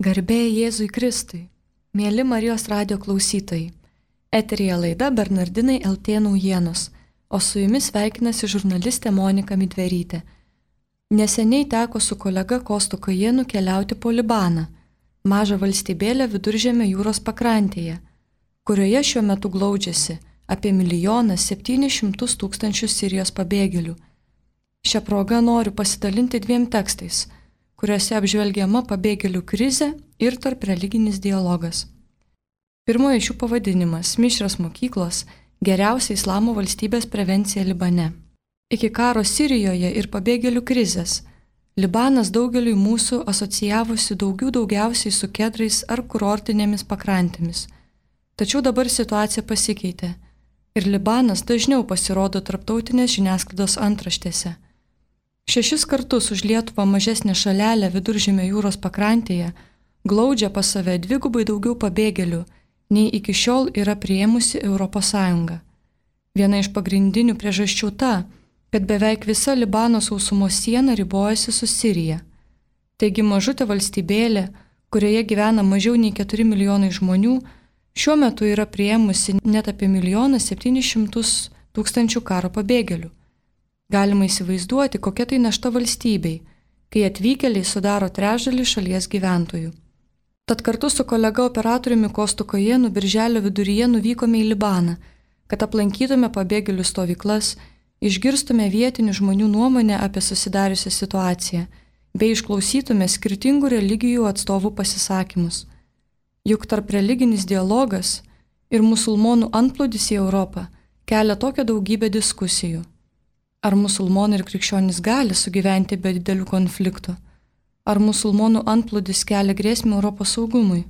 Garbė Jėzui Kristui, mėly Marijos radijo klausytojai, eteryje laida Bernardinai LT naujienos, o su jumis sveikinasi žurnalistė Monika Midverytė. Neseniai teko su kolega Kostu Kajėnu keliauti po Libaną, mažą valstybėlę Viduržemio jūros pakrantėje, kurioje šiuo metu glaudžiasi apie 1 700 000 Sirijos pabėgėlių. Šią progą noriu pasidalinti 2 tekstais, kuriuose apžvelgiama pabėgėlių krizė ir tarp religinis dialogas. Pirmoji šių pavadinimas – Mišrios mokyklos – geriausia islamo valstybės prevencija Libane. Iki karo Sirijoje ir pabėgėlių krizės Libanas daugeliui mūsų asocijavosi daugiausiai su kedrais ar kurortinėmis pakrantėmis. Tačiau dabar situacija pasikeitė ir Libanas dažniau pasirodo tarptautinės žiniasklaidos antraštėse. 6 kartus už Lietuvą mažesnę šalelę Viduržemio jūros pakrantėje glaudžia pas save 2 daugiau pabėgėlių, nei iki šiol yra priėmusi ES. Viena iš pagrindinių priežasčių ta, kad beveik visa Libano sausumos siena ribojasi su Sirija. Taigi mažutė valstybėlė, kurioje gyvena mažiau nei 4 milijonai žmonių, šiuo metu yra priėmusi net apie 1 700 000 karo pabėgėlių. Galima įsivaizduoti, kokia tai našta valstybei, kai atvykėliai sudaro trečdalį šalies gyventojų. Tad kartu su kolega operatoriumi Kostu Kajėnu birželio viduryje nuvykome į Libaną, kad aplankytume pabėgėlių stovyklas, išgirstume vietinių žmonių nuomonę apie susidariusią situaciją, bei išklausytume skirtingų religijų atstovų pasisakymus. Juk tarp religinis dialogas ir musulmonų antplūdis į Europą kelia tokią daugybę diskusijų. Ar musulmonai ir krikščionys gali sugyventi be didelių konfliktų? Ar musulmonų antplūdis kelia grėsmę Europos saugumui?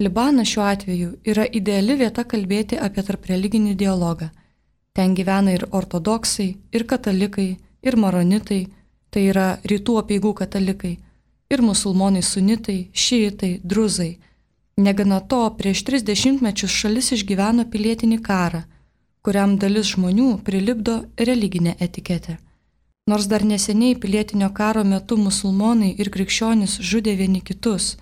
Libanas šiuo atveju yra ideali vieta kalbėti apie tarpreliginį dialogą. Ten gyvena ir ortodoksai, ir katalikai, ir maronitai, tai yra rytų apeigų katalikai, ir musulmonai sunitai, šiitai, druzai. Negana to, prieš 30 mečius šalis išgyveno pilietinį karą, kuriam dalis žmonių prilipdo religinę etiketę. Nors dar neseniai pilietinio karo metu musulmonai ir krikščionys žudė vieni kitus,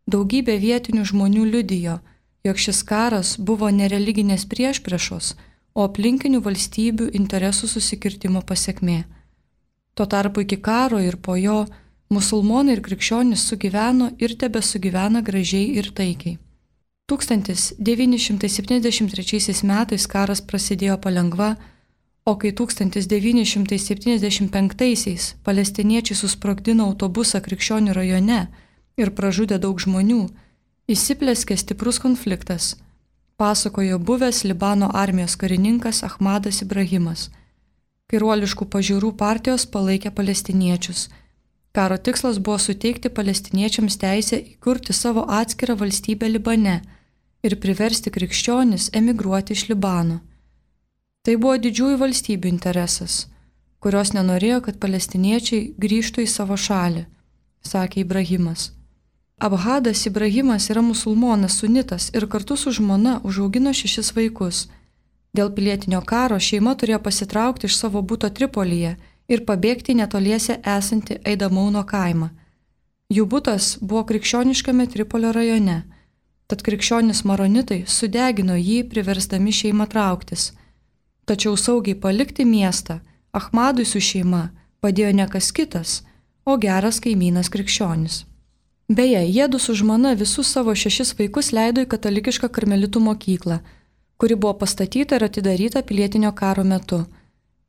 daugybė vietinių žmonių liudijo, jog šis karas buvo ne religinės priešpriešos, o aplinkinių valstybių interesų susikirtimo pasekmė. Tuo tarpu iki karo ir po jo musulmonai ir krikščionys sugyveno ir tebesugyvena gražiai ir taikiai. 1973 metais karas prasidėjo palengva, o kai 1975 palestiniečiai susprogdino autobusą Krikščionių rajone ir pražudė daug žmonių, įsiplėskė stiprus konfliktas, pasakojo buvęs Libano armijos karininkas Ahmadas Ibrahimas. Kairuoliškų pažiūrų partijos palaikė palestiniečius. Karo tikslas buvo suteikti palestiniečiams teisę įkurti savo atskirą valstybę Libane ir priversti krikščionis emigruoti iš Libano. Tai buvo didžiųjų valstybių interesas, kurios nenorėjo, kad palestiniečiai grįžtų į savo šalį, sakė Ibrahimas. Ahmadas Ibrahimas yra musulmonas sunitas ir kartu su žmona užaugino 6 vaikus. Dėl pilietinio karo šeima turėjo pasitraukti iš savo buto Tripolyje ir pabėgti netoliese esantį Eidamauno kaimą. Jų butas buvo krikščioniškame Tripolio rajone. Tad krikščionys maronitai sudegino jį, priversdami šeimą trauktis. Tačiau saugiai palikti miestą Ahmadui su šeima padėjo ne kas kitas, o geras kaimynas krikščionis. Beje, jiedu su žmona visus savo 6 vaikus leido į katalikišką karmelitų mokyklą, kuri buvo pastatyta ir atidaryta pilietinio karo metu.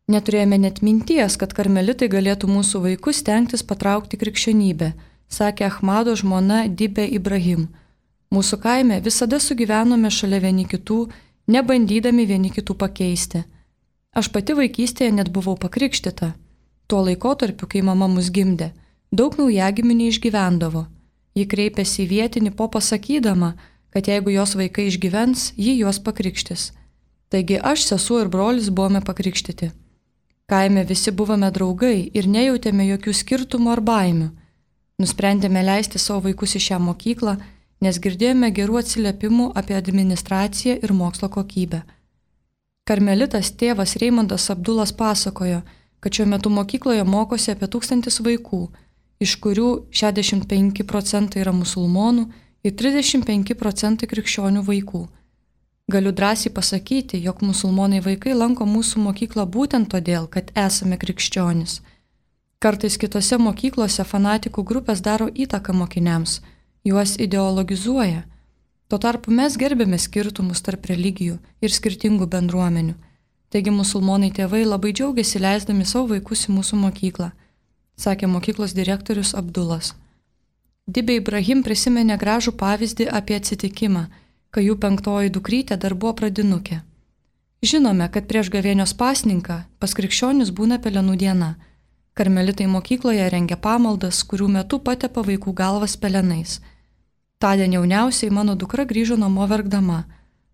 Neturėjome net minties, kad karmelitai galėtų mūsų vaikus stengtis patraukti krikščionybę, sakė Ahmado žmona Dibė Ibrahim. Mūsų kaime visada sugyvenome šalia vieni kitų, nebandydami vieni kitų pakeisti. Aš pati vaikystėje net buvau pakrikštyta. Tuo laikotarpiu, kai mama mus gimdė, daug naujagimių neišgyvendavo. Ji kreipėsi į vietinį popą sakydama, kad jeigu jos vaikai išgyvens, ji juos pakrikštys. Taigi aš, sesuo ir brolis buvome pakrikštyti. Kaime visi buvome draugai ir nejautėme jokių skirtumų ar baimių. Nusprendėme leisti savo vaikus į šią mokyklą, nes girdėjome gerų atsiliepimų apie administraciją ir mokslo kokybę. Karmelitas tėvas Reimondas Abdulas pasakojo, kad šiuo metu mokykloje mokosi apie 1000 vaikų iš kurių 65 procentai yra musulmonų ir 35 procentai krikščionių vaikų. Galiu drąsiai pasakyti, jog musulmonai vaikai lanko mūsų mokyklą būtent todėl, kad esame krikščionys. Kartais kitose mokyklose fanatikų grupės daro įtaką mokiniams, juos ideologizuoja. Tuo tarpu mes gerbėme skirtumus tarp religijų ir skirtingų bendruomenių. Taigi musulmonai tėvai labai džiaugiasi leisdami savo vaikus į mūsų mokyklą, sakė mokyklos direktorius Abdulas. Dibė Ibrahim prisiminė gražų pavyzdį apie atsitikimą, kai jų 5 dukrytė dar buvo pradinukė. Žinome, kad prieš gavėnios pasninką pas krikščionis būna pelenų diena. Karmelitai mokykloje rengia pamaldas, kurių metu patepa vaikų galvas pelenais. Tądien jauniausiai mano dukra grįžo namo verkdama.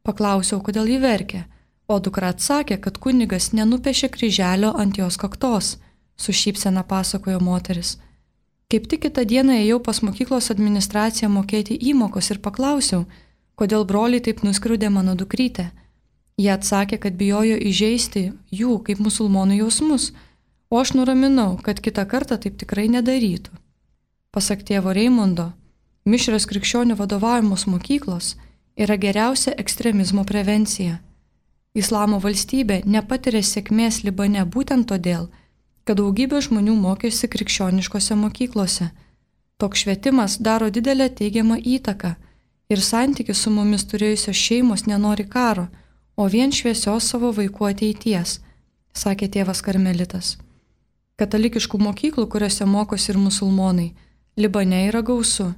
Paklausiau, kodėl ji verkė, o dukra atsakė, kad kunigas nenupešė kryželio ant jos kaktos, su šypsena pasakojo moteris. Kaip tik kitą dieną ėjau pas mokyklos administraciją mokėti įmokos ir paklausiau, kodėl broliai taip nuskriaudė mano dukrytę. Jie atsakė, kad bijojo įžeisti jų kaip musulmonų jausmus, o aš nuraminau, kad kitą kartą taip tikrai nedarytų. Pasak tėvo Reimondo, mišrios krikščionių vadovaujamos mokyklos yra geriausia ekstremizmo prevencija. Islamo valstybė nepatiria sėkmės Libane būtent todėl, kad daugybė žmonių mokėsi krikščioniškose mokyklose. Toks švietimas daro didelę teigiamą įtaką ir santykius su mumis turėjusios šeimos nenori karo, o vien šviesios savo vaikų ateities, sakė tėvas karmelitas. Katalikiškų mokyklų, kuriuose mokosi ir musulmonai, Libane yra gausu.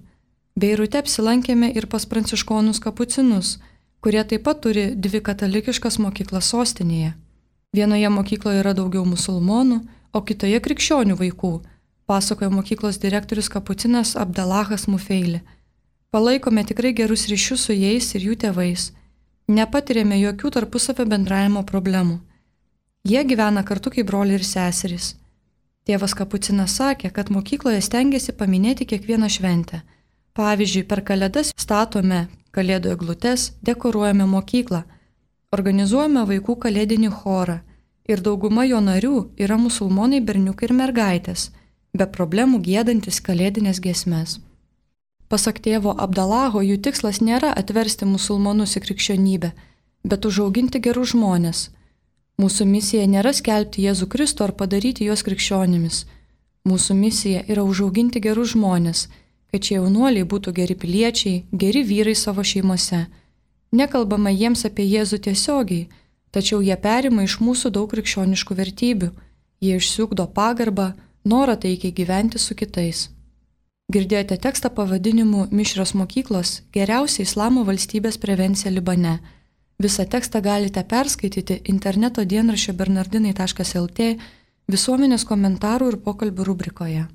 Beirute apsilankėme ir pas pranciškonus kapucinus, kurie taip pat turi 2 katalikiškas mokyklas sostinėje. Vienoje mokykloje yra daugiau musulmonų, o kitoje krikščionių vaikų, pasakojo mokyklos direktorius kapucinas Abdalahas Mufeili. Palaikome tikrai gerus ryšius su jais ir jų tėvais. Nepatirėme jokių tarpusavio bendravimo problemų. Jie gyvena kartu kaip broliai ir seserys. Tėvas kapucinas sakė, kad mokykloje stengiasi paminėti kiekvieną šventę. Pavyzdžiui, per Kalėdas statome kalėdų eglutes, dekoruojame mokyklą, organizuojame vaikų kalėdinį chorą ir dauguma jo narių yra musulmonai berniukai ir mergaitės, be problemų giedantis kalėdinės giesmes. Pasak tėvo Abdalaho, jų tikslas nėra atversti musulmonus į krikščionybę, bet užauginti gerus žmonės. Mūsų misija nėra skelbti Jėzų Kristų ar padaryti juos krikščionimis. Mūsų misija yra užauginti gerus žmonės, kad šie jaunuoliai būtų geri piliečiai, geri vyrai savo šeimose. Nekalbama jiems apie Jėzų tiesiogiai, tačiau jie perima iš mūsų daug krikščioniškų vertybių, jie išsiugdo pagarbą, norą taikiai gyventi su kitais. Girdėjote tekstą pavadinimu Mišrios mokyklos – geriausia Islamo valstybės prevencija Libane. Visą tekstą galite perskaityti interneto dienraščio bernardinai.lt visuomenės komentarų ir pokalbių rubrikoje.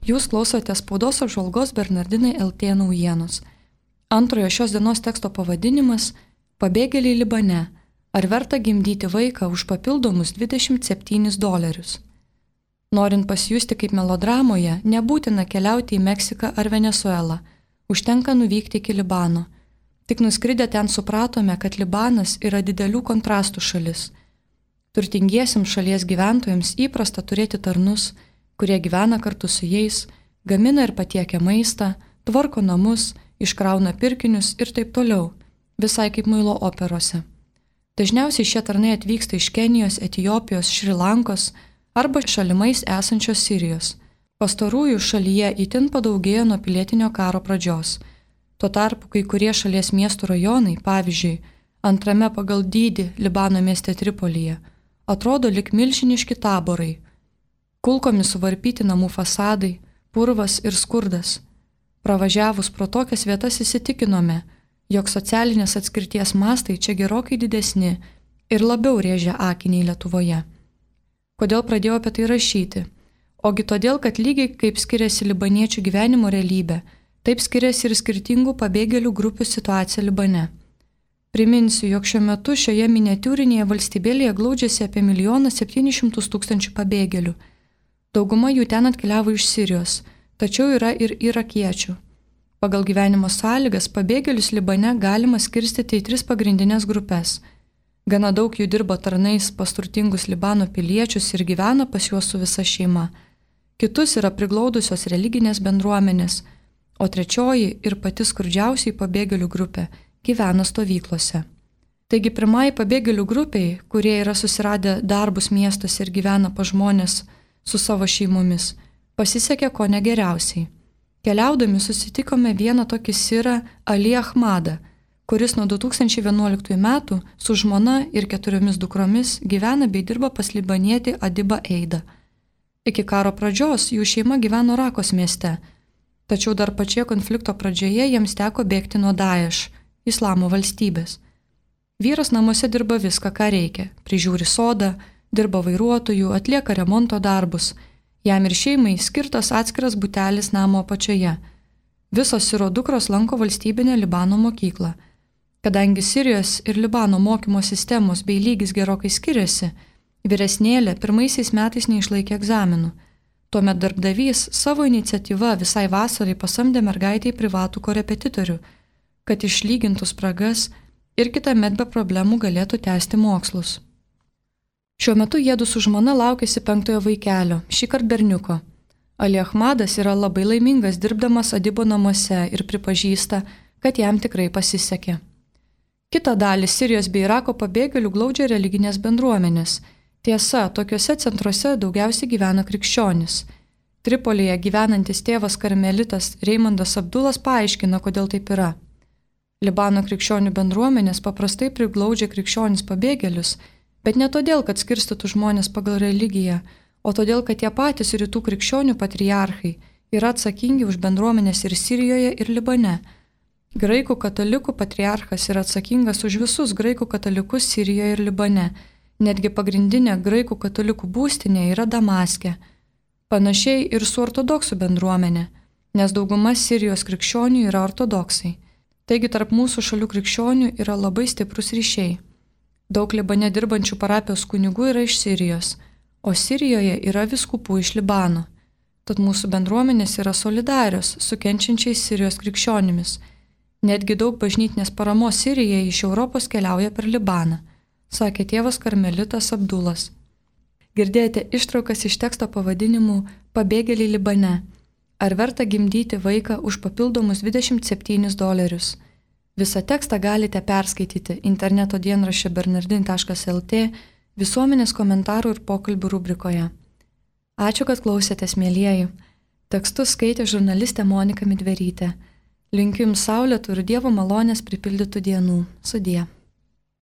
Jūs klausote spaudos apžvalgos Bernardinai LT naujienos. Antrojo šios dienos teksto pavadinimas – Pabėgėliai Libane. Ar verta gimdyti vaiką už papildomus $27? Norint pasijusti kaip melodramoje, nebūtina keliauti į Meksiką ar Venesuelą. Užtenka nuvykti iki Libano. Tik nuskridę ten supratome, kad Libanas yra didelių kontrastų šalis. Turtingiesiems šalies gyventojams įprasta turėti tarnus, kurie gyvena kartu su jais, gamina ir patiekia maistą, tvarko namus, iškrauna pirkinius ir taip toliau, visai kaip muilo operose. Dažniausiai šie tarnai atvyksta iš Kenijos, Etiopijos, Šri Lankos arba šalimais esančios Sirijos. Pastarųjų šalyje itin padaugėjo nuo pilietinio karo pradžios. Tuo tarpu kai kurie šalies miestų rajonai, pavyzdžiui, antrame pagal dydį Libano mieste Tripolyje, atrodo lyg milžiniški taborai. Kulkomis suvarpyti namų fasadai, purvas ir skurdas. Pravažiavus pro tokias vietas įsitikinome, jog socialinės atskirties mastai čia gerokai didesni ir labiau rėžia akį nei Lietuvoje. Kodėl pradėjau apie tai rašyti? Ogi todėl, kad lygiai kaip skiriasi libaniečių gyvenimo realybė, taip skiriasi ir skirtingų pabėgėlių grupių situacija Libane. Priminsiu, jog šiuo metu šioje miniatiūrinėje valstybėlėje glaudžiasi apie 1 700 000 pabėgėlių. Dauguma jų ten atkeliavo iš Sirijos, tačiau yra ir irakiečių. Pagal gyvenimo sąlygas pabėgėlius Libane galima skirstyti į 3 pagrindinės grupės. Gana daug jų dirba tarnais pas turtingus Libano piliečius ir gyvena pas juos su visa šeima. kitus yra priglaudusios religinės bendruomenės, o trečioji ir pati skurdžiausiai pabėgėlių grupė gyvena stovyklose. Taigi pirmai pabėgėlių grupiai, kurie yra susiradę darbus miestuose ir gyvena pa žmonės su savo šeimomis, pasisekė ko negeriausiai. Keliaudami susitikome vieną tokį sirą Ali Ahmadą, kuris nuo 2011 metų su žmona ir 4 dukromis gyvena bei dirba pas libanietį Adibą Eidą. Iki karo pradžios jų šeima gyveno Rakos mieste, tačiau dar pačioje konflikto pradžioje jiems teko bėgti nuo Daesh, islamo valstybės. Vyras namuose dirba viską, ką reikia, prižiūri sodą, dirba vairuotojų, atlieka remonto darbus. Jam ir šeimai skirtas atskiras butelis namo apačioje. Visos siro dukros lanko valstybinę Libano mokyklą. Kadangi Sirijos ir Libano mokymo sistemos bei lygis gerokai skiriasi, vyresnėlė pirmaisiais metais neišlaikė egzaminų. Tuomet darbdavys savo iniciatyva visai vasarai pasamdė mergaitę į privatų korepetitorių, kad išlygintų spragas ir kitąmet be problemų galėtų tęsti mokslus. Šiuo metu jiedu su žmona laukėsi 5 vaikelio, šįkart berniuko. Ali Ahmadas yra labai laimingas dirbdamas Adibo namuose ir pripažįsta, kad jam tikrai pasisekė. Kita dalį Sirijos bei Irako pabėgėlių glaudžia religinės bendruomenės. Tiesa, tokiuose centruose daugiausiai gyvena krikščionys. Tripolyje gyvenantis tėvas karmelitas Reimondas Abdulas paaiškina, kodėl taip yra. Libano krikščionių bendruomenės paprastai priglaudžia krikščionis pabėgėlius, bet ne todėl, kad skirstytų žmonės pagal religiją, o todėl, kad tie patys rytų krikščionių patriarchai yra atsakingi už bendruomenės ir Sirijoje, ir Libane. Graikų katalikų patriarchas yra atsakingas už visus graikų katalikus Sirijoje ir Libane. Netgi pagrindinė graikų katalikų būstinė yra Damaske. Panašiai ir su ortodoksų bendruomenė, nes dauguma Sirijos krikščionių yra ortodoksai. Taigi tarp mūsų šalių krikščionių yra labai stiprus ryšiai. Daug Libane dirbančių parapijos kunigų yra iš Sirijos, o Sirijoje yra vyskupų iš Libano. Tad mūsų bendruomenės yra solidarios su kenčiančiais Sirijos krikščionimis. Netgi daug bažnytinės paramos Sirijai iš Europos keliauja per Libaną, sakė tėvas karmelitas Abdulas. Girdėjote ištraukas iš teksto pavadinimu Pabėgėliai Libane. Ar verta gimdyti vaiką už papildomus $27? Visą tekstą galite perskaityti interneto dienraščio bernardin.lt visuomenės komentarų ir pokalbių rubrikoje. Ačiū, kad klausėtės, mielieji. Tekstus skaitė žurnalistė Monika Midverytė. Linkiu jums saulėtų ir Dievo malonės pripildytų dienų. Sudie.